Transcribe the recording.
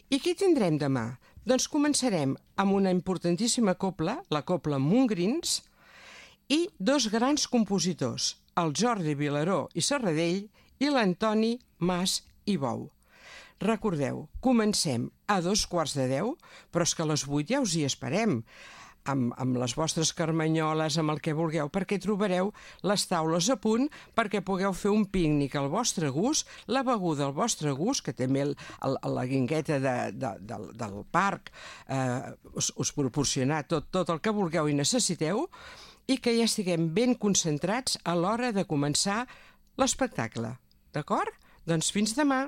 I què tindrem demà? Doncs començarem amb una importantíssima cobla, la cobla Montgrins, i dos grans compositors, el Jordi Vilaró i Serradell i l'Antoni Mas i Bou. Recordeu, comencem a 2:15, però és que a les 8 ja us hi esperem, amb les vostres carmanyoles, amb el que vulgueu, perquè trobareu les taules a punt perquè pugueu fer un pícnic al vostre gust, la beguda al vostre gust, que també la guingueta del parc us proporcionarà tot el que vulgueu i necessiteu, i que ja estiguem ben concentrats a l'hora de començar l'espectacle. D'acord? Doncs fins demà!